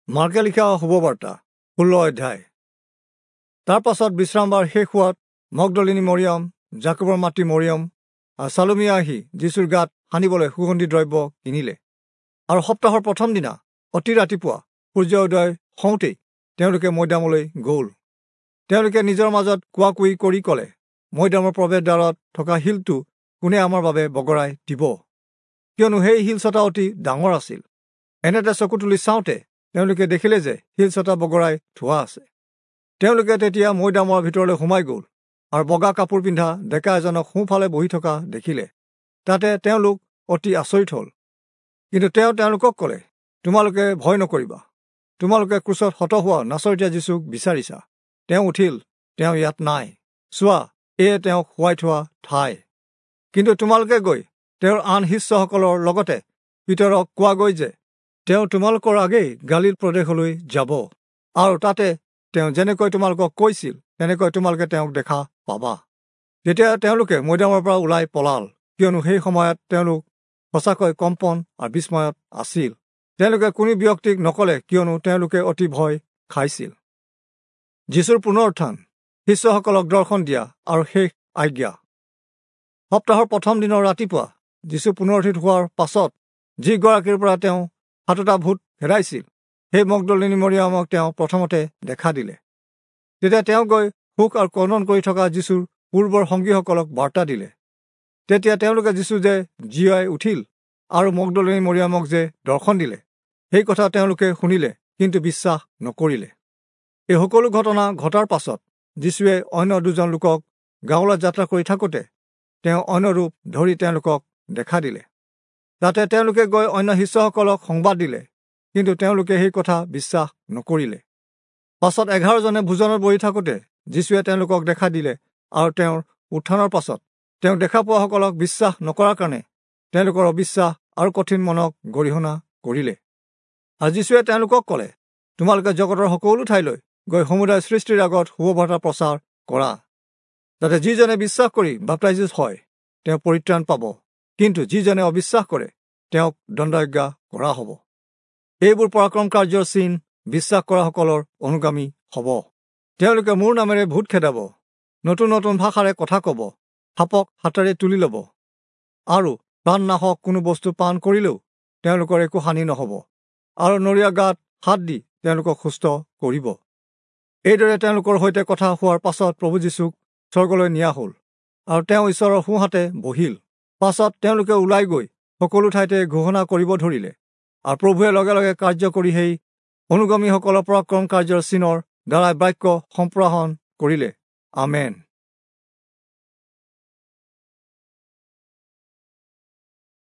মাৰ্কে লিখা শুভবাৰ্তা 16 অধ্যায়। তাৰ পাছত বিশ্ৰামবাৰ শেষ হোৱাত মগদলিনী মৰিয়ম, জাকোবৰ মাতৃ মৰিয়ম আৰু চালোমিয়া আহি যীশুৰ গাত সানিবলৈ সুগন্ধি দ্ৰব্য কিনিলে। আৰু সপ্তাহৰ প্ৰথম দিনা অতি ৰাতিপুৱা সূৰ্য উদয় হওঁতেই তেওঁলোকে মৈদামলৈ গ'ল। তেওঁলোকে নিজৰ মাজত কোৱা কুই কৰি ক'লে, মৈদামৰ প্ৰৱেশদ্বাৰত থকা শিলটো কোনে আমাৰ বাবে বগৰাই দিব? কিয়নো সেই শিলচটা অতি ডাঙৰ আছিল। এনেতে চকু তুলি চাওঁতে তেওঁলোকে দেখিলে যে শিলচটা বগৰাই থোৱা আছে। তেওঁলোকে তেতিয়া মৈদামৰ ভিতৰলৈ সোমাই গ'ল আৰু বগা কাপোৰ পিন্ধা ডেকা এজনক সোঁফালে বহি থকা দেখিলে। তাতে তেওঁলোক অতি আচৰিত হ'ল। কিন্তু তেওঁ তেওঁলোকক ক'লে, তোমালোকে ভয় নকৰিবা। তোমালোকে ক্ৰুচত হত হোৱা নাচৰতীয়া যীচুক বিচাৰিছা। তেওঁ উঠিল, তেওঁ ইয়াত নাই। চোৱা, এয়ে তেওঁক শুৱাই থোৱা ঠাই। কিন্তু তোমালোকে গৈ তেওঁৰ আন শিষ্যসকলৰ লগতে পিতৰক কোৱাগৈ যে তেওঁ তোমালোকৰ আগেই গালিল প্ৰদেশলৈ যাব, আৰু তাতে তেওঁ যেনেকৈ তোমালোকক কৈছিল তেনেকৈ তোমালোকে তেওঁক দেখা পাবা। তেতিয়া তেওঁলোকে মৈদামৰ পৰা ওলাই পলাল, কিয়নো সেই সময়ত তেওঁলোক সঁচাকৈ কম্পন আৰু বিস্ময়ত আছিল। তেওঁলোকে কোনো ব্যক্তিক নক'লে, কিয়নো তেওঁলোকে অতি ভয় খাইছিল। যীশুৰ পুনৰুত্থান, শিষ্যসকলক দৰ্শন দিয়া আৰু শেষ আজ্ঞা। সপ্তাহৰ প্ৰথম দিনৰ ৰাতিপুৱা যীশু পুনৰুত্থিত হোৱাৰ পাছত যিগৰাকীৰ পৰা তেওঁ 7টা ভূত খেদাইছিল, সেই মগদলিনী মৰিয়মক তেওঁ প্ৰথমতে দেখা দিলে। তেতিয়া তেওঁ গৈ সুখ আৰু ক্ৰন্দন কৰি থকা যীশুৰ পূৰ্বৰ সংগীসকলক বাৰ্তা দিলে। তেতিয়া তেওঁলোকে যীশু যে জীয়াই উঠিল আৰু মগদলিনী মৰিয়মক যে দৰ্শন দিলে, সেই কথা তেওঁলোকে শুনিলে, কিন্তু বিশ্বাস নকৰিলে। এই সকলো ঘটনা ঘটাৰ পাছত যীশুৱে অন্য দুজন লোকক গাঁৱলৈ যাত্ৰা কৰি থাকোঁতে তেওঁ অন্য ৰূপ ধৰি তেওঁলোকক দেখা দিলে। তাতে তেওঁলোকে গৈ অন্য শিষ্যসকলক সংবাদ দিলে, কিন্তু তেওঁলোকে সেই কথা বিশ্বাস নকৰিলে। পাছত 11জনে ভোজনত বহি থাকোঁতে যীশুৱে তেওঁলোকক দেখা দিলে আৰু তেওঁৰ উত্থানৰ পাছত তেওঁক দেখা পোৱাসকলক বিশ্বাস নকৰাৰ কাৰণে তেওঁলোকৰ অবিশ্বাস আৰু কঠিন মনক গৰিহণা কৰিলে। আৰু যীশুৱে তেওঁলোকক ক'লে, তোমালোকে জগতৰ সকলো ঠাইলৈ গৈ সমুদায় সৃষ্টিৰ আগত শুভবাৰ্তা প্ৰচাৰ কৰা। যাতে যিজনে বিশ্বাস কৰি বাপ্তাইজিত হয় তেওঁ পৰিত্ৰাণ পাব, কিন্তু যিজনে অবিশ্বাস কৰে তেওঁক দণ্ডাজ্ঞা কৰা হ'ব। এইবোৰ পৰাক্ৰম কাৰ্যৰ চিন বিশ্বাস কৰাসকলৰ অনুগামী হ'ব। তেওঁলোকে মোৰ নামেৰে ভূত খেদাব, নতুন নতুন ভাষাৰে কথা ক'ব, সাপক হাতেৰে তুলি ল'ব, আৰু প্ৰাণনাশক কোনো বস্তু পান কৰিলেও তেওঁলোকৰ একো হানি নহ'ব, আৰু নৰিয়া গাত হাত দি তেওঁলোকক সুস্থ কৰিব। এইদৰে তেওঁলোকৰ সৈতে কথা হোৱাৰ পাছত প্ৰভু যীশুক স্বৰ্গলৈ নিয়া হ'ল আৰু তেওঁ ঈশ্বৰৰ সোঁহাতে বহিল। পাছত তেওঁলোকে ওলাই গৈ সকলো ঠাইতে ঘোষণা কৰিব ধৰিলে, আৰু প্ৰভুৱে লগে লগে কাৰ্য কৰি সেই অনুগামীসকলৰ পৰাক্ৰম কাৰ্যৰ চিনৰ দ্বাৰাই বাক্য সম্প্ৰসাৰণ কৰিলে। আমেন।